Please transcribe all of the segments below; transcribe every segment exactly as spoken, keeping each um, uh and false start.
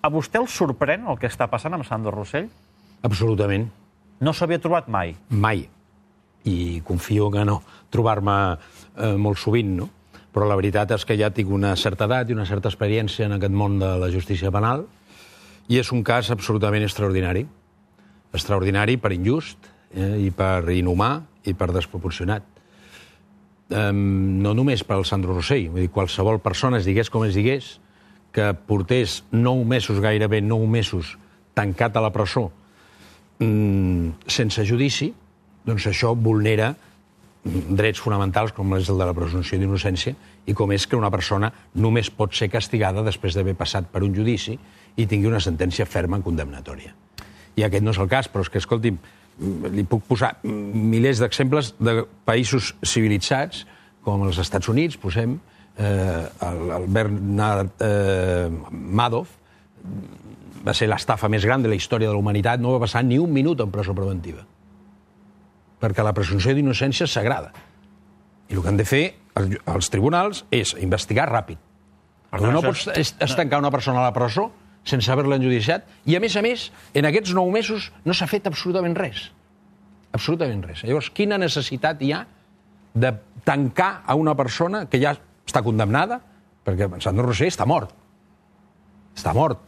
A vostè el sorprèn el que està passant amb Sandro Rosell? Absolutament. No s'havia trobat mai? Mai. I confio que no trobar-me eh, molt sovint, no? Però la veritat és que ja tinc una certa edat i una certa experiència en aquest món de la justícia penal i és un cas absolutament extraordinari. Extraordinari per injust, eh, i per inhumà i per desproporcionat. Eh, no només per al Sandro Rosell, vull dir, qualsevol persona, es digués com es digués, que portés nou mesos, gairebé nou mesos, tancat a la presó mm, sense judici, doncs això vulnera drets fonamentals com és el de la presumpció d'innocència i com és que una persona només pot ser castigada després d'haver passat per un judici i tingui una sentència ferma en condemnatòria. I aquest no és el cas, però és que, escolti'm, li puc posar milers d'exemples de països civilitzats, com els Estats Units, posem, eh, el, el Bernard eh, Madoff, va ser l'estafa més gran de la història de la humanitat, no va passar ni un minut en presó preventiva. Perquè la presumpció d'innocència és sagrada. I el que han de fer els, els tribunals és investigar ràpid. Però no pots estancar una persona a la presó sense haver-la enjudiciat, i, a més a més, en aquests nou mesos no s'ha fet absolutament res. Absolutament res. Llavors, quina necessitat hi ha de tancar a una persona que ja està condemnada? Perquè Sandro Rosell està mort. Està mort.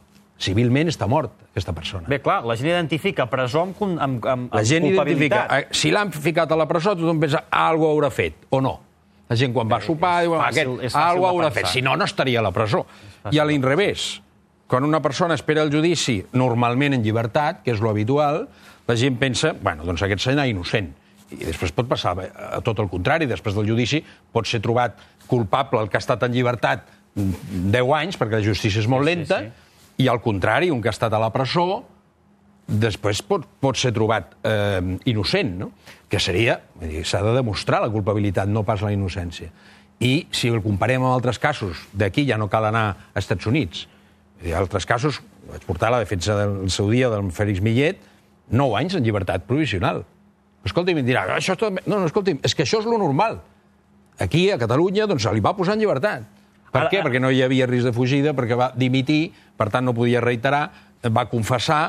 Civilment està mort, aquesta persona. Bé, clar, la gent identifica presó amb, amb, amb la gent culpabilitat. Identifica, si l'han ficat a la presó, tothom pensa, algo haurà fet, o no. La gent quan va sopar diu, aquest, algo haurà fet, si no, no estaria a la presó. I a l'inrevés, quan una persona espera el judici normalment en llibertat, que és lo habitual, la gent pensa, bueno, doncs aquest serà innocent. I després pot passar a tot el contrari, després del judici pot ser trobat culpable el que ha estat en llibertat deu anys, perquè la justícia és molt lenta, sí, sí. I al contrari, un que ha estat a la presó, després pot, pot ser trobat eh, innocent, no? Que seria, s'ha de demostrar la culpabilitat, no pas la innocència. I si el comparem amb altres casos, d'aquí ja no cal anar a Estats Units. Hi ha altres casos, vaig portar la defensa del seu dia del Félix Millet, nou anys en llibertat provisional. Escolti'm, em dirà, això és tot... No, no, escolti'm, és que això és lo normal. Aquí, a Catalunya, doncs se li va posar en llibertat. Per ara, què? Perquè no hi havia risc de fugida, perquè va dimitir, per tant no podia reiterar, va confessar,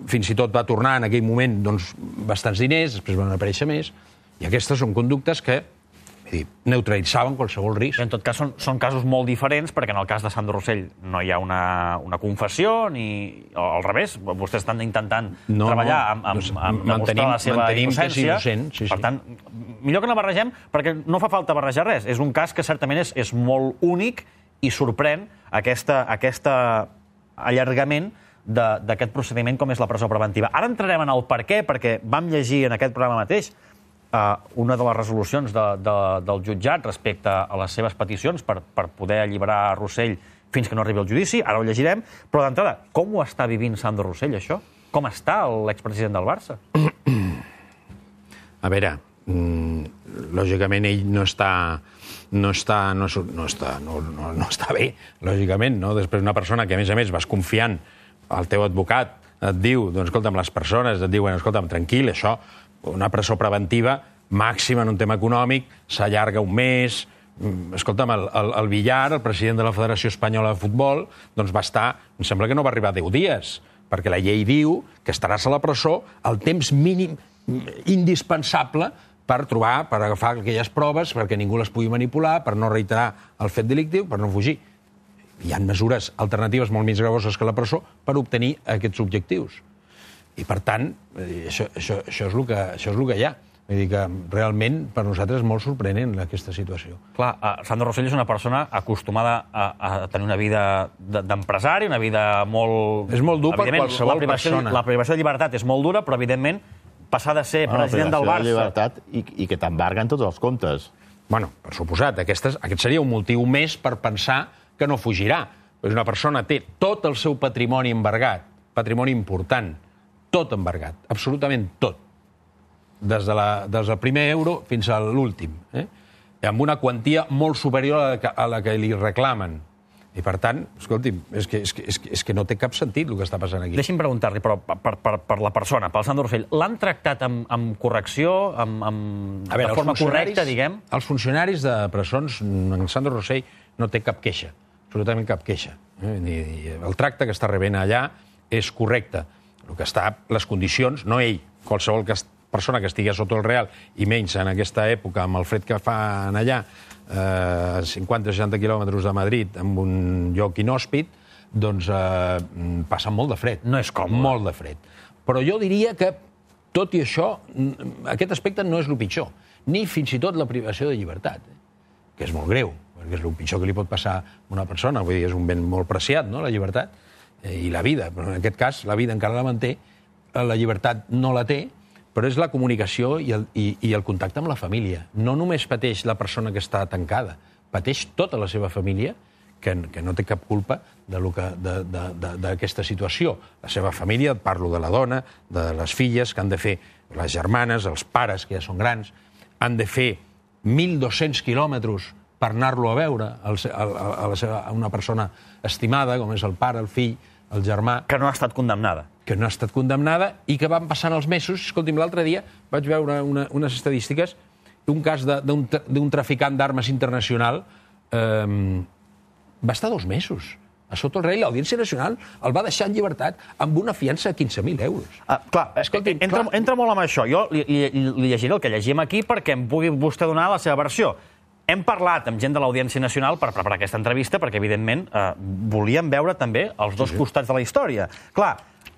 fins i tot va tornar en aquell moment doncs, bastants diners, després van aparèixer més, i aquestes són conductes que dir, neutralitzaven qualsevol risc. En tot cas, són, són casos molt diferents, perquè en el cas de Sandro Rosell no hi ha una, una confessió, ni al revés, vostès estan intentant no, treballar amb, amb, doncs, amb demostrar la seva innocència. Innocent, sí, sí. Per tant, millor que no barregem, perquè no fa falta barrejar res. És un cas que certament és, és molt únic i sorprèn aquesta, aquesta allargament d'aquest procediment com és la presó preventiva. Ara entrarem en el per què, perquè vam llegir en aquest programa mateix Uh, una de les resolucions de, de, del jutjat respecte a les seves peticions per, per poder alliberar Rosell fins que no arribi al judici, ara ho llegirem, però d'entrada, com ho està vivint Sandro Rosell, això? Com està l'expresident del Barça? A veure, mm, lògicament ell no està, no està, no, no està, no, no, no està bé, lògicament, no? Després una persona que, a més a més, vas confiant al teu advocat, et diu, doncs, escolta'm, les persones et diuen, escolta'm, tranquil, això, una presó preventiva màxima en un tema econòmic, s'allarga un mes. Escolta'm, el, el, el Villar, el president de la Federació Espanyola de Futbol, doncs va estar, em sembla que no va arribar a deu dies, perquè la llei diu que estaràs a la presó el temps mínim indispensable per trobar, per agafar aquelles proves, perquè ningú les pugui manipular, per no reiterar el fet delictiu, per no fugir. Hi ha mesures alternatives molt més gravoses que la presó per obtenir aquests objectius. I, per tant, això, això, això, és el que, això és el que hi ha. Vull dir que realment per nosaltres és molt sorprenent aquesta situació. Clar, Sandro Rosell és una persona acostumada a, a tenir una vida d'empresari, una vida molt... És molt dur per qualsevol la persona. La privació de llibertat és molt dura, però, evidentment, passar de ser bueno, president del Barça... La llibertat i, i que t'embarguen tots els comptes. Bueno, per suposat, aquestes, aquest seria un motiu més per pensar que no fugirà. És una persona té tot el seu patrimoni embargat, patrimoni important, tot embargat, absolutament tot, des, de la, des del primer euro fins a l'últim, eh? amb una quantia molt superior a la, que, a la que li reclamen. I, per tant, escolti'm, és que, és, que, és, que, és que no té cap sentit el que està passant aquí. Deixi'm preguntar-li, però per, per, per la persona, pel Sandro Rosell, l'han tractat amb, amb correcció, amb, amb, veure, de forma correcta, diguem? Els funcionaris de presons, en Sandro Rosell no té cap queixa. absolutament cap queixa. El tracte que està rebent allà és correcte. El que està, les condicions, no ell, qualsevol persona que estigui sota el Real, i menys en aquesta època, amb el fred que fan allà, a cinquanta o seixanta quilòmetres de Madrid, en un lloc inhòspit, doncs passa molt de fred. No és còmode. Molt de fred. Però jo diria que, tot i això, aquest aspecte no és el pitjor, ni fins i tot la privació de llibertat, que és molt greu, perquè és el pitjor que li pot passar a una persona, vull dir, és un ben molt preciat, no?, la llibertat, i la vida, però en aquest cas la vida encara la manté, la llibertat no la té, però és la comunicació i el, i, i el contacte amb la família. No només pateix la persona que està tancada, pateix tota la seva família, que, que no té cap culpa d'aquesta situació. La seva família, parlo de la dona, de les filles, que han de fer, les germanes, els pares, que ja són grans, han de fer mil dos-cents quilòmetres per anar-lo a veure, a, a, la seva, a una persona estimada, com és el pare, el fill, el germà... Que no ha estat condemnada. Que no ha estat condemnada i que van passant els mesos. Escolti'm, l'altre dia vaig veure una, unes estadístiques d'un cas d'un traficant d'armes internacional eh, va estar dos mesos a sota el rei. L'Audiència Nacional el va deixar en llibertat amb una fiança de quinze mil euros. Ah, clar, Escolti, entra, clar, entra molt amb això. Jo li, li, li llegiré el que llegim aquí perquè em pugui vostè donar la seva versió. Hem parlat amb gent de l'Audiència Nacional per preparar aquesta entrevista perquè, evidentment, eh, volíem veure també els dos sí, sí. costats de la història. Clar,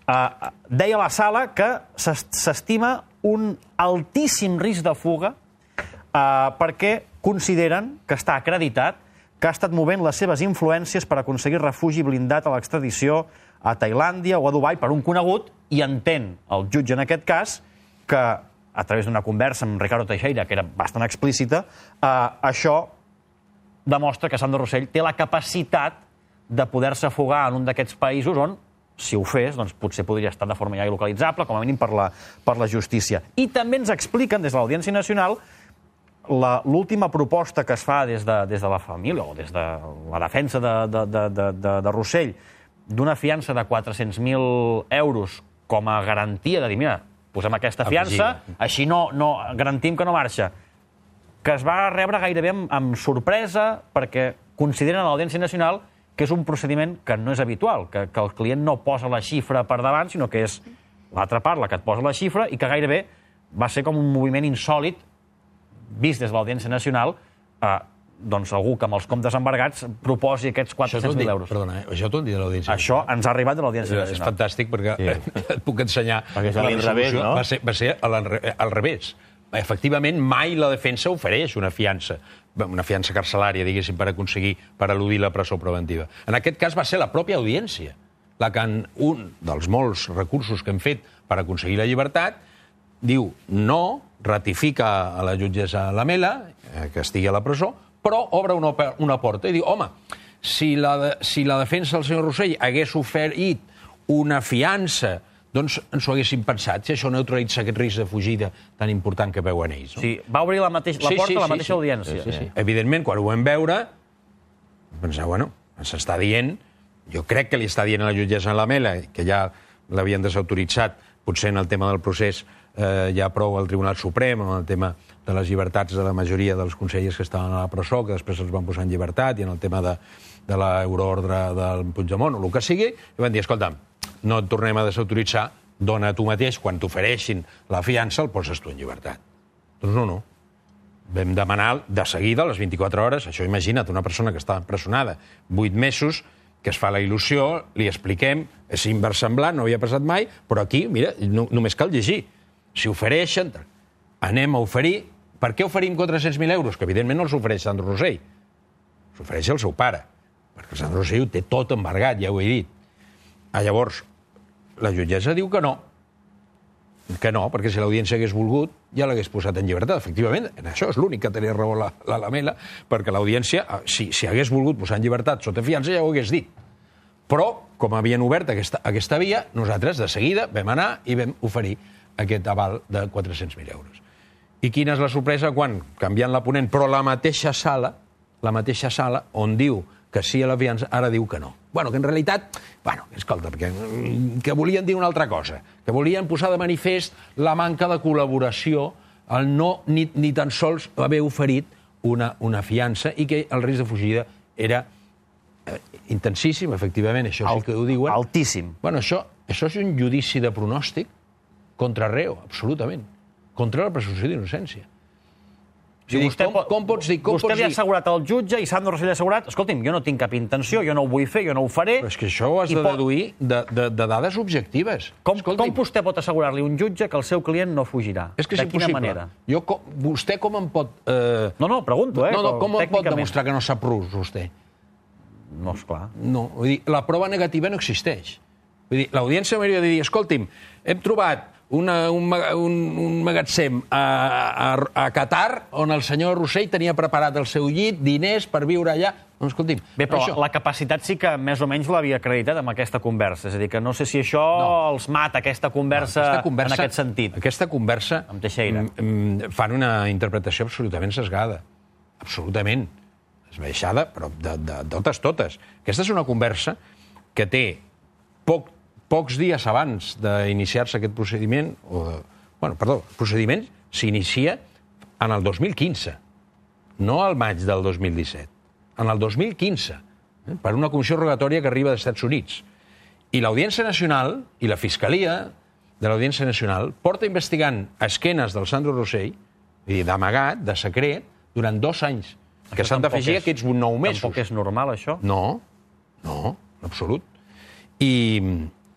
eh, deia la Sala que s'estima un altíssim risc de fuga eh, perquè consideren que està acreditat que ha estat movent les seves influències per aconseguir refugi blindat a l'extradició a Tailàndia o a Dubai per un conegut, i entén el jutge en aquest cas que, a través d'una conversa amb Ricardo Teixeira, que era bastant explícita, eh, això demostra que Sandro Rosell té la capacitat de poder-se fugar en un d'aquests països on, si ho fes, doncs potser podria estar de forma ja il·localitzable, com a mínim per la, per la justícia. I també ens expliquen, des de l'Audiència Nacional, l'última proposta que es fa des de, des de la família o des de la defensa de, de, de, de, de Rosell d'una fiança de quatre-cents mil euros com a garantia de dir, mira, posem aquesta fiança, així no, no garantim que no marxa, que es va rebre gairebé amb, amb sorpresa perquè consideren a l'Audiència Nacional que és un procediment que no és habitual, que, que el client no posa la xifra per davant, sinó que és l'altra part la que et posa la xifra, i que gairebé va ser com un moviment insòlit vist des de l'Audiència Nacional, eh, doncs algú que amb els comptes embargats proposi aquests quatre-cents mil euros. Perdona, eh? Això t'ho han dit de l'Audiència Nacional? Això ens ha arribat de l'Audiència Nacional. És fantàstic perquè sí. et puc ensenyar... Perquè és a l'inrevés, no? Va ser, va ser al revés. Efectivament, mai la defensa ofereix una fiança, una fiança carcelària, diguéssim, per aconseguir, per eludir la presó preventiva. En aquest cas va ser la pròpia audiència la que en un dels molts recursos que hem fet per aconseguir la llibertat diu no, ratifica a la jutgessa Lamela, que estigui a la presó, però obre una, una porta i diu, home, si la, de, si la defensa del senyor Rosell hagués oferit una fiança, doncs ens ho haguéssim pensat, si això neutralitza aquest risc de fugida tan important que veuen ells. No? Sí, va obrir la, mateix, la sí, porta sí, a la sí, mateixa sí, audiència. Sí, sí. Evidentment, quan ho vam veure, pensar, bueno, s'està dient, jo crec que li està dient a la jutgessa Lamela, que ja l'havien desautoritzat, potser en el tema del procés eh, ja prou al Tribunal Suprem, en el tema de les llibertats de la majoria dels consellers que estaven a la presó, que després els van posar en llibertat, i en el tema de, de l'euroordre del Puigdemont, o el que sigui, i van dir, escolta'm, no et tornem a desautoritzar, dona tu mateix, quan t'ofereixin la fiança, el poses tu en llibertat. Doncs no, no. Vam demanar de seguida, a les vint-i-quatre hores, això imagina't, una persona que està empresonada vuit mesos, que es fa la il·lusió, li expliquem, és inversemblant, no havia passat mai, però aquí, mira, no, només cal llegir. Si ofereixen, anem a oferir... Per què oferim quatre-cents mil euros? Que evidentment no els ofereix Sandro Rosell. S'ofereix el seu pare, perquè Sandro Rosell ho té tot embargat, ja ho he dit. Ah, llavors, la jutgessa diu que no. Que no, perquè si l'audiència hagués volgut, ja l'hagués posat en llibertat. Efectivament, en això és l'únic que tenia raó la, la Lamela, perquè l'audiència, si, si hagués volgut posar en llibertat sota fiança, ja ho hagués dit. Però, com havien obert aquesta, aquesta via, nosaltres de seguida vam anar i vam oferir aquest aval de quatre-cents mil euros. I quina és la sorpresa quan, canviant la ponent, però la mateixa sala, la mateixa sala on diu que sí a la fiança, ara diu que no. Bueno, que en realitat, bueno, escolta, perquè, que volien dir una altra cosa, que volien posar de manifest la manca de col·laboració, el no ni, ni tan sols haver oferit una, una fiança i que el risc de fugida era intensíssim, efectivament, això sí que ho diuen. Altíssim. Bueno, això, això és un judici de pronòstic contra reo, absolutament. Contra la presumpció d'innocència. Si vostè, com, com pots dir... Com vostè pots li ha dir... assegurat al jutge i Sandro Rosell ha assegurat, escolti'm, jo no tinc cap intenció, jo no ho vull fer, jo no ho faré... Però és que això ho has de deduir de, de, de dades objectives. Com, com vostè pot assegurar-li a un jutge que el seu client no fugirà? És que és de quina impossible. manera? Jo, com, vostè com em pot... Eh... No, no, pregunto, eh? No, no, com em pot demostrar que no sap rus, vostè? No, esclar. No, vull dir, la prova negativa no existeix. Vull dir, l'audiència m'hauria de dir, escolti'm, hem trobat una, un, un, un magatzem a, a, a Qatar on el senyor Rosell tenia preparat el seu llit, diners per viure allà. Doncs, escolti'm... Bé, però això... la capacitat sí que més o menys l'havia acreditat amb aquesta conversa. És a dir, que no sé si això no. els mata, aquesta conversa, no, aquesta conversa en aquest sentit. Aquesta conversa... Amb Teixeira. Fan una interpretació absolutament sesgada. Absolutament. Esbaixada, però de, de, de totes, totes. Aquesta és una conversa que té poc, pocs dies abans d'iniciar-se aquest procediment, o de, bueno, perdó, el procediment s'inicia en el dos mil quinze, no al maig del dos mil disset, en el dos mil quinze, eh, per una comissió rogatòria que arriba dels Estats Units. I l'Audiència Nacional i la Fiscalia de l'Audiència Nacional porta investigant a esquenes del Sandro Rosell, d'amagat, de secret, durant dos anys, que s'han d'afegir aquests nou mesos. Tampoc és normal, això? No, no, en absolut. I,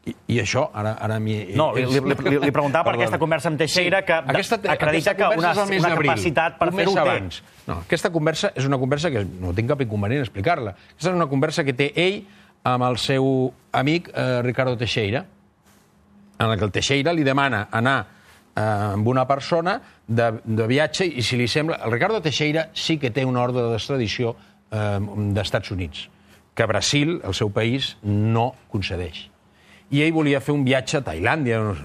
i, i això, ara... ara no, li, li, li, li preguntava per aquesta conversa amb Teixeira, que sí, aquesta, acredita aquesta que una, una capacitat per fer-ho té. No, aquesta conversa és una conversa que no tinc cap inconvenient a explicar-la. Aquesta és una conversa que té ell amb el seu amic eh, Ricardo Teixeira, en la que el Teixeira li demana anar eh, amb una persona de, de viatge i, si li sembla... El Ricardo Teixeira sí que té una ordre d'extradició eh, d'Estats Units, que Brasil, el seu país, no concedeix. I ell volia fer un viatge a Tailàndia no sé,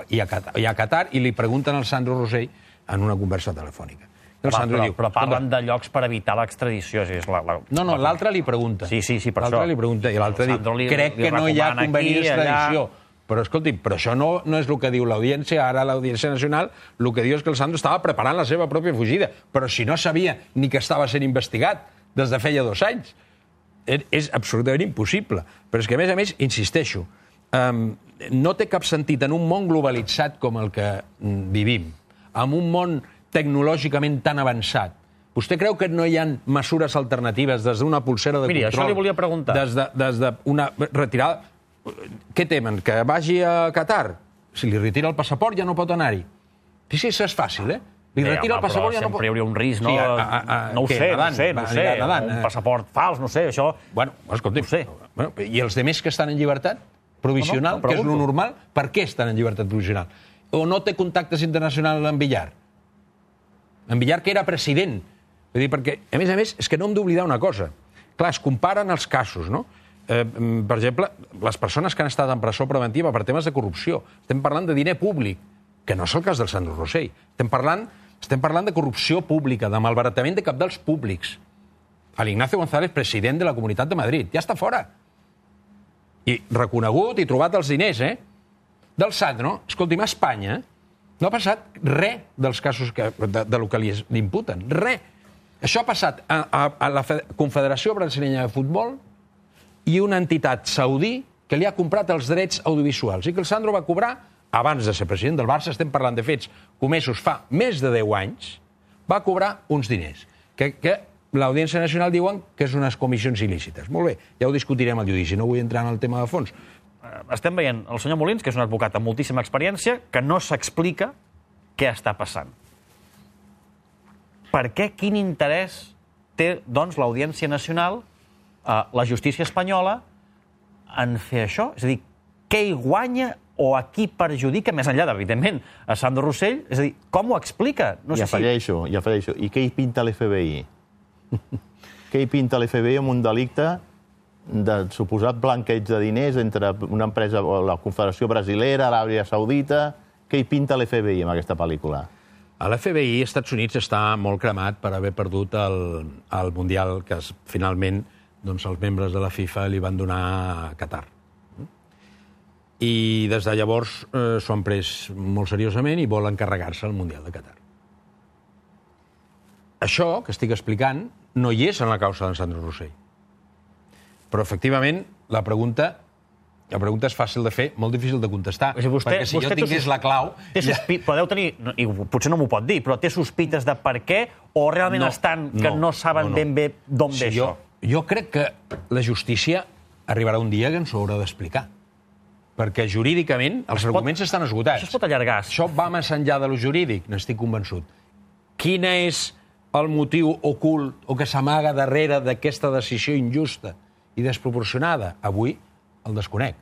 i, a Qatar, i a Qatar i li pregunten al Sandro Rosell en una conversa telefònica. El Home, Sandro però, diu, però parlen de llocs per evitar l'extradició. És la, la... No, no, l'altre li pregunta. Sí, sí, sí, per això. L'altre li pregunta i l'altre diu, li, crec li que no hi ha convenient d'extradició. Allà... Però, escolti, però això no, no és el que diu l'Audiència. Ara l'Audiència Nacional el que diu és que el Sandro estava preparant la seva pròpia fugida. Però si no sabia ni que estava sent investigat des de feia dos anys. És absolutament impossible. Però és que, a més a més, insisteixo, um, no té cap sentit en un món globalitzat com el que vivim, en un món tecnològicament tan avançat. Vostè creu que no hi ha mesures alternatives des d'una pulsera de Miri, control? Miri, això li volia preguntar. Des de, des d'una retirada... Què temen? Que vagi a Qatar? Si li retira el passaport ja no pot anar-hi. Sí, sí, això és fàcil, eh? Li Bé, retira home, el passaport ja no pot... sempre hi hauria un risc, no? Sí, a, a, a, no ho què, sé, nedant, no sé, no sé. Nedant, un eh? passaport fals, no sé, això... Bueno, escolti, no sé. Bueno, i els demés que estan en llibertat provisional, no, no, que és lo normal, per què estan en llibertat provisional? O no té contactes internacionals amb Villar? En Villar, que era president. Vull dir, perquè, a més a més, és que no hem d'oblidar una cosa. Clar, es comparen els casos, no? Eh, per exemple, les persones que han estat en presó preventiva per temes de corrupció. Estem parlant de diner públic, que no és el cas del Sandro Rosell. Estem parlant, estem parlant de corrupció pública, de malbaratament de cabdals públics. L'Ignacio González, president de la Comunitat de Madrid, ja està fora. I reconegut i trobat els diners, eh? Del Sandro, escolti'm, a Espanya no ha passat res dels casos que, de, de lo que li imputen. Res. Això ha passat a, a, a la Confederació Brasileña de Futbol i una entitat saudí que li ha comprat els drets audiovisuals i que el Sandro va cobrar, abans de ser president del Barça, estem parlant de fets comesos fa més de deu anys, va cobrar uns diners, que, que l'Audiència Nacional diuen que és unes comissions il·lícites. Molt bé, ja ho discutirem al judici, no vull entrar en el tema de fons. Estem veient el senyor Molins, que és un advocat amb moltíssima experiència, que no s'explica què està passant. Per què, quin interès té, doncs, l'Audiència Nacional, eh, la justícia espanyola, en fer això? És a dir, què hi guanya o a qui perjudica, més enllà, evidentment, a Sandro Rosell? És a dir, com ho explica? No I sé afegeixo, si... i afegeixo. I què hi pinta l'F B I? Què hi pinta l'F B I amb un delicte de suposat blanqueig de diners entre una empresa, la Confederació Brasilera, l'Aràbia Saudita? Què hi pinta l'F B I amb aquesta pel·lícula? A l'F B I, als Estats Units, està molt cremat per haver perdut el, el Mundial que es, finalment doncs, els membres de la FIFA li van donar a Qatar. I des de llavors eh, s'ho han pres molt seriosament i volen carregar-se el Mundial de Qatar. Això que estic explicant no hi és en la causa d'en Sandro Rosell. Però, efectivament, la pregunta... La pregunta és fàcil de fer, molt difícil de contestar. O sigui, vostè, perquè si vostè jo tingués la clau... Té sospi... Podeu tenir, i potser no m'ho pot dir, però té sospites de per què o realment No, estan que no, no saben no, no. ben bé d'on Sí, ve jo, això? jo crec que la justícia arribarà un dia que ens ho haurà d'explicar. Perquè jurídicament els pot- arguments estan esgotats. Això es pot allargar. Això va més enllà de lo jurídic, n'estic convençut. Quin és el motiu ocult o que s'amaga darrere d'aquesta decisió injusta i desproporcionada? Avui el desconec.